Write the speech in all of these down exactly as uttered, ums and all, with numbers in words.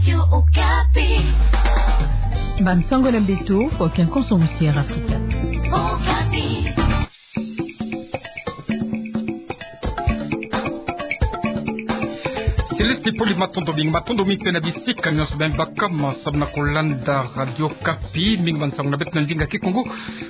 Radio Okapi. Bansango na mbeto, Faustin Konso Musier Afrika. Okapi. Céleste Poli, matondo mingi, matondo mingi mpe na bisika nyonso beno baka ma samu na kolanda Radio Okapi. Mingi bansango na beto na ndinga Kikongo,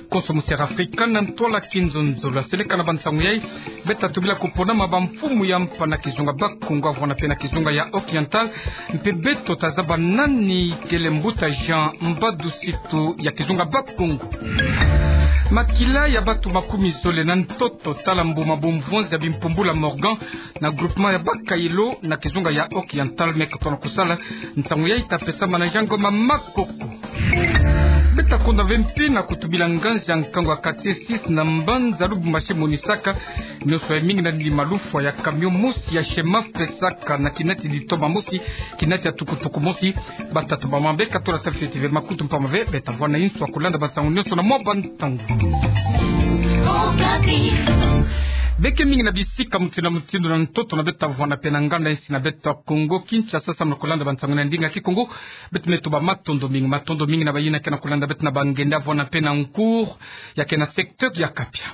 Konso Musier Afrika na ntwala Kinzonzolo. Seleka na bansango yai, beto ta tubila kuponama bamfumu ya mpa na kizunga Bakongo, avwanda mpe na kizunga ya Oriental, mpe beto ta zaba nani kele mbuta Jean Mbadu Situ ya kizunga Bakongo. Makila ya bantu makumi zole na ntoto, tala mbuma bumvonzi ya bimpumbula Morgan na groupement ya Bakayelo na kizunga ya Oriental, me kutona kusala. Nsangu yai ta pesama na Jean Ngoma Makoko. Beto ta konda ve mpi na kutubila nganzi ya nkangu ya quartier six na mbanza Lubumbashi, monisaka nyonso ya mingi na ndima lufwa ya camion mosi ya Shema pesaka na kinati ditoma mosi, kinati ya tukutuku mosi. Batata, bamama, beka tula Tafi T V makutu mpamba ve, beto ta vwanda inso ya kulanda bansangu nyonso na mwa bantangu. Beke mingi na bisika mutindu na mutindu na ntoto na beto, ta vwanda mpe na nganda insi na beto ya Kongo Kinshasa samu na kulanda bansangu na ndinga Kikongo. Beto me tuba matondo mingi, matondo mingi na bayina ke na kulanda beto na bangenda, vwanda mpe na nkour ya ke na secteur ya Kapia.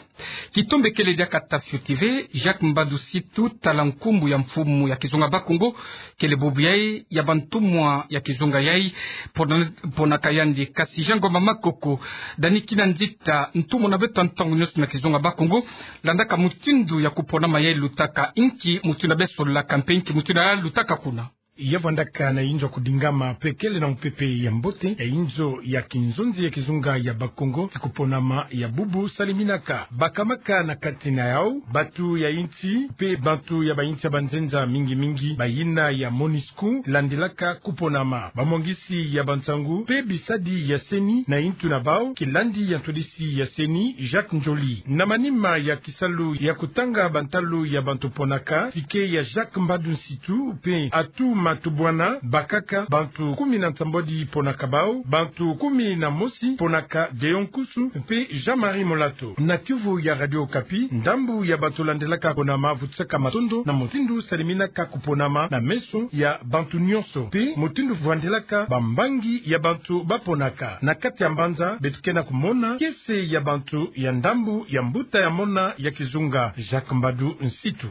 Kitombe kele diaka Tafi T V, Jacques Mbadu Situ, tala nkumbu ya mfumu ya kizunga Bakongo, kele bubu yai ya bantumwa ya kizunga yai, pona, ponaka yandi. Kasi Jean Ngoma Makoko, Dani Kinanzita, ntumwa na beto ya ntangu nyonso na kizunga Bakongo, landaka mutindu ya kuponama yai lutaka, inki mutindu ya beso laka mpe inki mutindu ya lutaka kuna? Ya vwandaka na inzo ya kudingama mpe kele na mupepe ya mbote, ya inzo ya kinzonzi ya kizunga ya Bakongo, ti kuponama ya bubu saleminaka. Bakamaka na kati na yau bantu ya insi mpe bantu ya bainsi ya banzenza mingi mingi, bayina ya MONUSCO landilaka kuponama. Bamwangisi ya bansangu mpe bisadi ya CENI na intu na bau, kilandi ya ntwadisi ya CENI, Jacques Ndjoli. Na manima ya kisalu ya kutanga bantalu ya bantu ponaka ticket ya Jacques Mbadu Nsitu mpe Atou Matubuana, bakaka bantu kumi na nsambwadi ponaka bau, bantu kumi na mosi ponaka Deo Nkusu mpe Jean-Marie Molato. Na kiuvu ya Radio Okapi, ndambu ya bantu landilaka kuponama vutisaka matondo na mutindu saleminaka kuponama na meso ya bantu nyonso, mpe mutindu vwandilaka bambangi ya bantu baponaka. Na kati ya mbanza, beto ke na kumona kiese ya bantu ya ndambu ya mbuta ya mona ya kizunga, Jacques Mbadu Nsitu.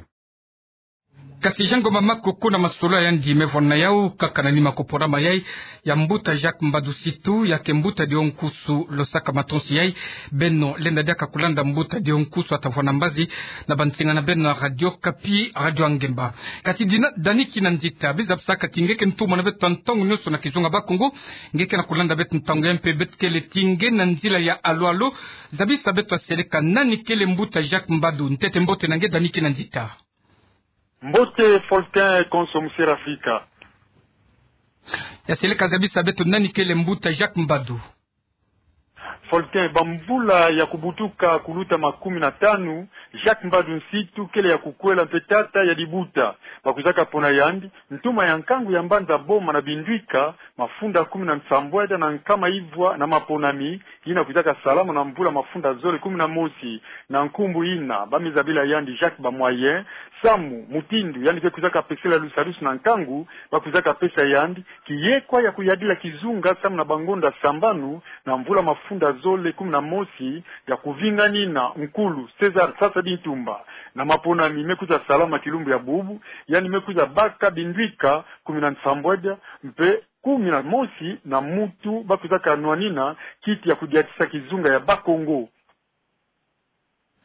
Kasi Jean Ngoma Makoko, na masolo yandi me vwanda na yau, kaka na nima kuponama yai ya mbuta Jacques Mbadu Nsitu, ya ke mbuta Deo Nkusu, losaka matonsi yai. Beno lenda diaka kulanda mbuta Deo Nkusu, a ta vwanda mbazi na bansinga na beno na Radio Okapi, Radio ya Ngemba. Kasi Dina, Dani Kinanzita, biza bisaka ti nge ke ntumwa na beto ya ntangu nyonso na kizunga Bakongo, nge ke na kulanda beto ntangu yai mpe beto kele ti nge na nzila ya alo alo. Zabisa beto ya seleka nani kele mbuta Jacques Mbadu. Ntete mbote na nge, Dani Kinanzita. Mbote Faustin Konso Musier Afrika. Ya seleka, zabisa beto nani kele mbuta Jacques Mbadu. Faustin, bamvula ya kubutuka kuluta makumi na tanu, Jacques Mbadu Nsitu kele ya kukwela mpe tata ya dibuta. Bakwizaka pona yandi ntumwa ya nkangu ya mbanza Boma na Bindwika, mafunda kumi na nsambwadi na nkama ivwa na maponami, yina kwizaka salama na mvula mafunda zole kumi na mosi. Na nkumbu yina ba me zabila yandi Jacques Bamoyen, samu mutindu yandi ke kwizaka pesela lusadusu na nkangu, bakwizaka pesa yandi kiyekwa ya kuyadila kizunga samu na bangonda sambanu na mvula mafunda zole kumi na mosi ya kuvinganina nkulu César Sassou Ntumba. Na maponami me kwiza salama kilumbu ya bubu, yandi me kwiza baka Bindwika kumi na nsambwadi, mpe kumi na mosi na mutu bakwizaka nwanina kiti ya kudiatisa kizunga ya Bakongo.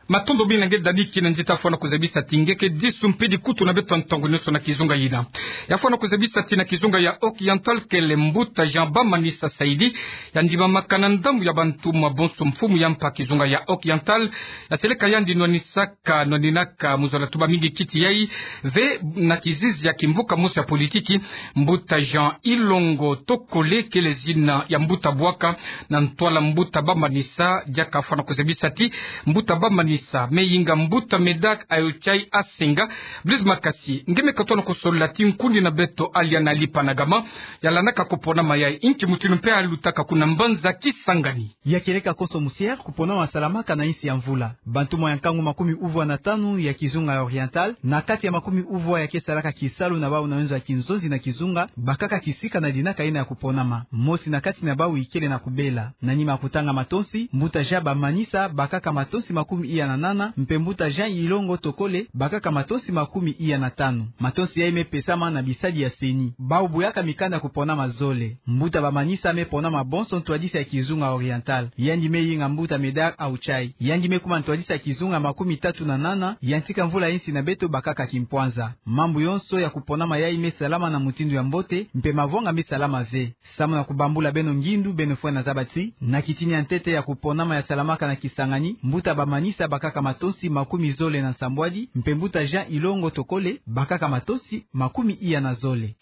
Matondo mingi na nge Dani Kinanzita, fwana kuzabisa ti nge ke disu mpe dikutu na beto ya ntangu nyonso na kizunga yina. Ya fwana kuzabisa ti na kizunga ya Oriental kele mbuta Jean Bamanisa Saidi, ya ndimamaka na ndambu ya bantumwa bonso mfumu ya mpa kizunga ya Oriental, ya seleka yandi nwanisa ka nwaninaka mu zola tuba mingi kiti yai ve na kizizi ya kimvuka mosi ya politiki, mbuta Jean Ilongo Tokole kele zina ya mbuta bwaka na ntwala mbuta Bamanisa. Diaka fwana kuzabisa ti mbuta Bamanisa Sa me yinga mbuta Medard Ayochai Asenga. Blaise Makasi nge me katono ko sola ti nkundi na beto Aliana Lipanagama, ya landaka ko ponama yayi, nki mutinu mpe alutaka kuna mbanza Kisangani. Ya kieleka konso musière, ko ponama salamaka na insi ya mvula. Bantumwa ya nkangu makumi uvwa na tanu ya kizunga ya Oriental, na kati ya makumi uvwa ya ke salaka kisalu na bau na wenzo ya kinzonzi na kizunga, bakaka kisika na dinaka ina ya ko ponama. Mosi na kati na bau ikele na kubela. Na nima ya kutanga matonsi, mbuta Jean Bamanisa bakaka matonsi makumi iya na nana, mpe mbuta Jean Ilongo Tokole bakaka matonsi makumi iya na tanu. Matonsi yayi me pesama na bisadi ya CENI. Bau boyaka mikanda ya ko ponama zole. Mbuta Bamanisa me ponama bonso ntwadisi ya kizunga Oriental. Yandi me yinga mbuta Medard Ayochai. Yandi me kuma ntwadisi ya kizunga makumi tatu na nana ya ntika mvula insi na beto bakaka kimpwanza. Mambu yonso ya ko ponama yayi me salama na mutindu ya mbote, mpe mavwanga me salama ve. Samu na kubambula beno ngindu, beno fwene zaba ti, na kitini ya ntete ya ko ponama ya salamaka na Kisangani, mbuta Bamanisa bakaka matonsi makumi zole na nsambwadi, mpe mbuta Jean Ilongo Tokole bakaka matonsi makumi iya na zole.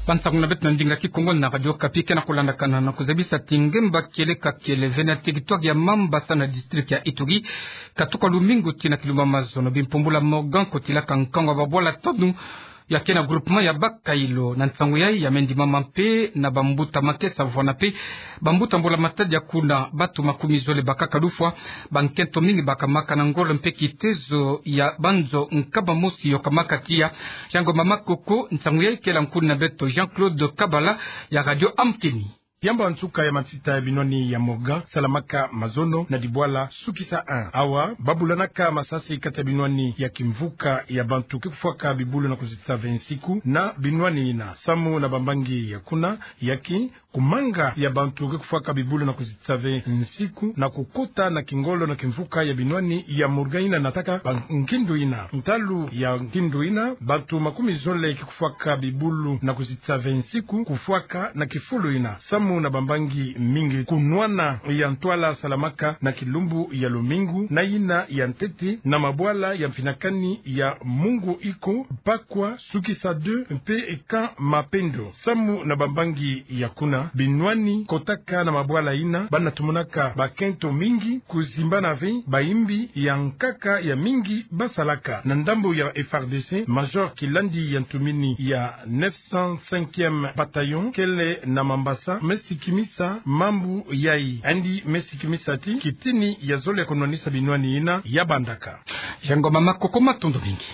Bansangu na beto na ndinga Kikongo na Radio Okapi ke na kulandakana. Na kuzabisa ti ngemba kieleka kiele ve na territoire ya Mambasa na district ya Ituri, katuka lumingu tii na kilumbu ya mazono, bimpumbulu ya Morgan kotilaka nkangu ya babwala tonu ya ke na groupement ya Bakailo. Na nsangu yayi ya me ndimama mpe na bambuta makesa vwanda mpe bambuta mbula-matadi ya kuna. Bantu makumi zole bakaka lufwa, bankento mingi bakamaka na ngolo mpe kitezo ya banzo nkama mosi yokamaka tiya. Jean Ngoma Makoko, nsangu yayi kele nkundi na beto Jean-Claude Kabala ya Radio Amkeni. Yambo ya nsuka ya matita ya binwani ya Morgan salamaka mazono na dibwala Sukisa un. Awa babulanaka masasi kati ya binwani ya kimvuka ya bantu ke kufwaka bibulu na kuzitisa ve nsiku na binwani ina. Samu na bambangi ya kuna, ya ki kumanga ya bantu ke kufwaka bibulu na kuzitisa ve nsiku na kukota na kingolo na kimvuka ya binwani ya Morgan ina nataka ba ngindu ina. Ntalu ya ngindu ina, bantu makumi zole ke kufwaka bibulu na kuzitisa ve nsiku kufwaka na kifulu ina. Samu na bambangi mingi, kunwana ya ntwala salamaka na kilumbu ya lumingu na ina ya ntete na mabwala ya mfinakani ya Mungu Iko, Pakwa, Sukisa deux mpe Camp Mapendo. Samu na bambangi ya kuna, binwani kotaka na mabwala ina, bana tumonaka bakento mingi kuzimbana ve bayimbi ya nkaka ya mingi basalaka. Na ndambu ya F R D C, Major Kilandi ya ntumini ya neuf cent cinquième bataillon kele na Mambasa me sikimisa mambu yayi. Yandi me sikimisa ti kitini ya zole ya kunwanisa binwani ina ya bandaka. Jean Ngoma Makoko, matondo mingi.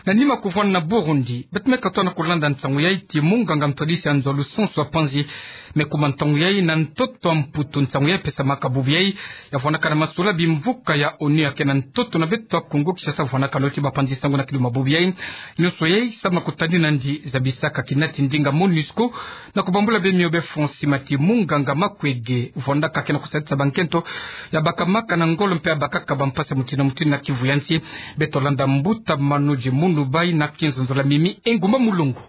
Na nima kuvwanda na Burundi, beto me katono kulanda nsangu yayi ti munganga ntwadisi ya nzo lusansu ya panzi me kuma ntangu yayi na ntoto ya Mputu. Nsangu yayi pesamaka bubu yayi ya vwandaka na masula bimvuka ya ONU ya ke na ntoto na beto ya Kongo Kinshasa, vwandaka noti bapanzi nsangu na kilumbu ya bubu yayi. Nyonso yayi samu na kutadina nandi zabisaka kinati ndinga MONUSCO na kubambula be mio be Fransi mati munganga Makwege vwandaka ke na kusadisa bankento ya bakamaka na ngolo mpe ya bakaka bampasi ya mutinu na mutinu na Kivu ya nsi. Beto landa mbuta Manoji Munubai na kinzonzola mimi Engumba Mulongo.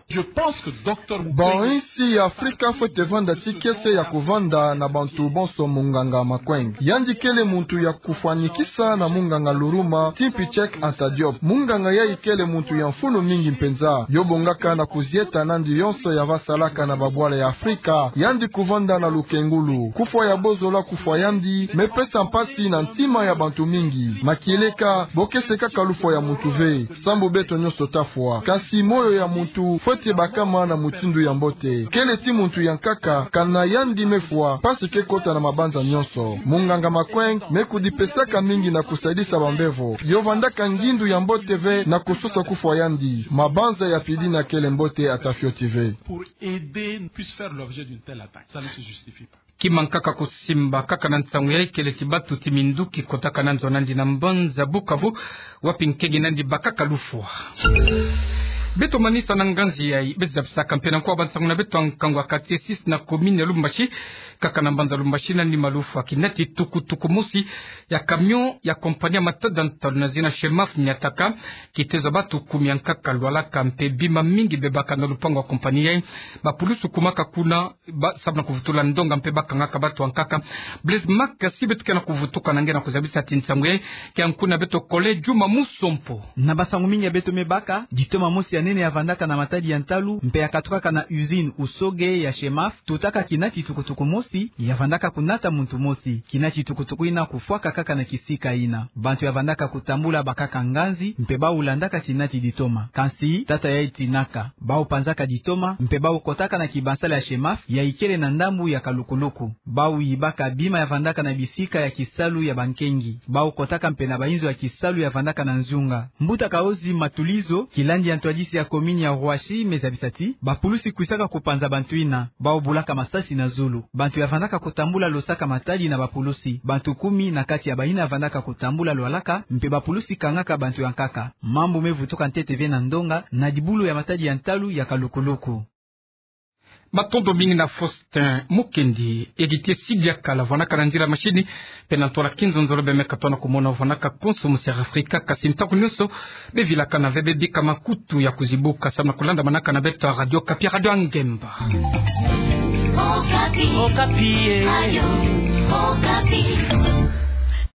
Bon, insi ya Afrika fwete vanda ti kiese ya kuvanda na bantu bonso munganga Makwege. Yandi kele muntu ya kufwanikisa na munganga Luruma, Timpi Cheikh Anta Diop. Munganga yayi kele muntu ya mfunu mingi mpenza. Yo bongaka na kuzieta nandi yonso ya va salaka na babwala ya Afrika. Yandi kuvanda na lukengulu. Kufwa ya bozola kufwa yandi me pesa mpasi na ntima ya bantu mingi. Makieleka, bo ke sekaka lufwa ya muntu ve, sambu beto nyonso ta fwa. Kasi moyo ya muntu fwete bakama na mutindu ya mbote. Kele ti muntu ya nkaka, kana yandi me fwa, mpasi ke kota na mabanza nyonso. Munganga Makwege me kudipesaka mingi na kusadisa bambevo. Yo vandaka ngindu ya mbote ve na kusosa kufwa yandi. Mabanza ya pidina kele mbote ata fioti ve. Pour aider puisse faire l'objet d'une telle attaque. Ça ne se justifie pas. Kima nkaka kusimba kaka na nsangu yayi kele ti batu ti minduki kotaka na nzo nandi na mbanza Bukavu, wapi nkengi nandi bakaka lufwa. Beto manisa na nganzi yayi, beto zabisaka mpe na nkwa bansangu na beto ya nkangu ya quartier six na commune ya Lubumbashi, kaka na mbanza Lubumbashi na nima lufwa kinati tukutuku mosi ya camion ya compagnie ya matada ntalu na zina Shemaf niataka, kitezo batu kumi ya nkaka lwalaka mpe bima mingi bebaka na lupangu ya compagnie yayi. Bapulusu kumaka kuna ba, samu na kuvutula ndonga mpe bakangaka batu ya nkaka. Blaise Makasi, beto ke na kuvutuka na nge na kuzabisa ti nsangu yayi ke ya nkuna beto Collègue Juma Musompo. Na bansangu mingi ya beto me baka, ditoma mosi ya nene ya vandaka na matadi ya ntalu mpe ya katukaka na usine Usoge ya Shemaf, tutaka kinati tukutuku mosi ya vandaka kunata muntu mosi. Kinati tukutuku ina kufwaka kaka na kisika ina. Bantu ya vandaka kutambula bakaka nganzi mpe bau landaka kinati ditoma. Kansi tata yayi tinaka. Bau panzaka ditoma mpe bau kotaka na kibansala ya Shemaf ya ikele na ndambu ya Kalukuluku. Bau yibaka bima ya vandaka na bisika ya kisalu ya bankengi. Bau kotaka mpe na bainzo ya kisalu ya vandaka na nzunga. Mbuta Kaozi Matulizo, kilandi ya ntwadisi ya komini ya Roissy, me zabisa ti bapulusi kwisaka kupanza bantu ina. Bau bulaka masasi na zulu. Bantu ya vandaka kutambula losaka matadi na bapulusi. Bantu kumi na kati ya baina ya vandaka kutambula lwalaka, mpe bapulusi kangaka bantu ya nkaka. Mambu me vutuka ntete ve na ndonga na dibulu ya matadi ya ntalu ya Kalukuluku. Matondo mingi na Faustin Mukendi. Heritier Sidiakala vandaka na nzila mashini, mpe na ntwala Kinzonzolo. Be me katona kumona vandaka konso mu Sud-Afrika, kasi ntangu nyonso be vilakana ve, be bika makutu ya kuzibuka samu na kulandamanaka na beto Radio Okapi, Radio ya Ngemba. Okapi. Okapi, eh. Radio Okapi.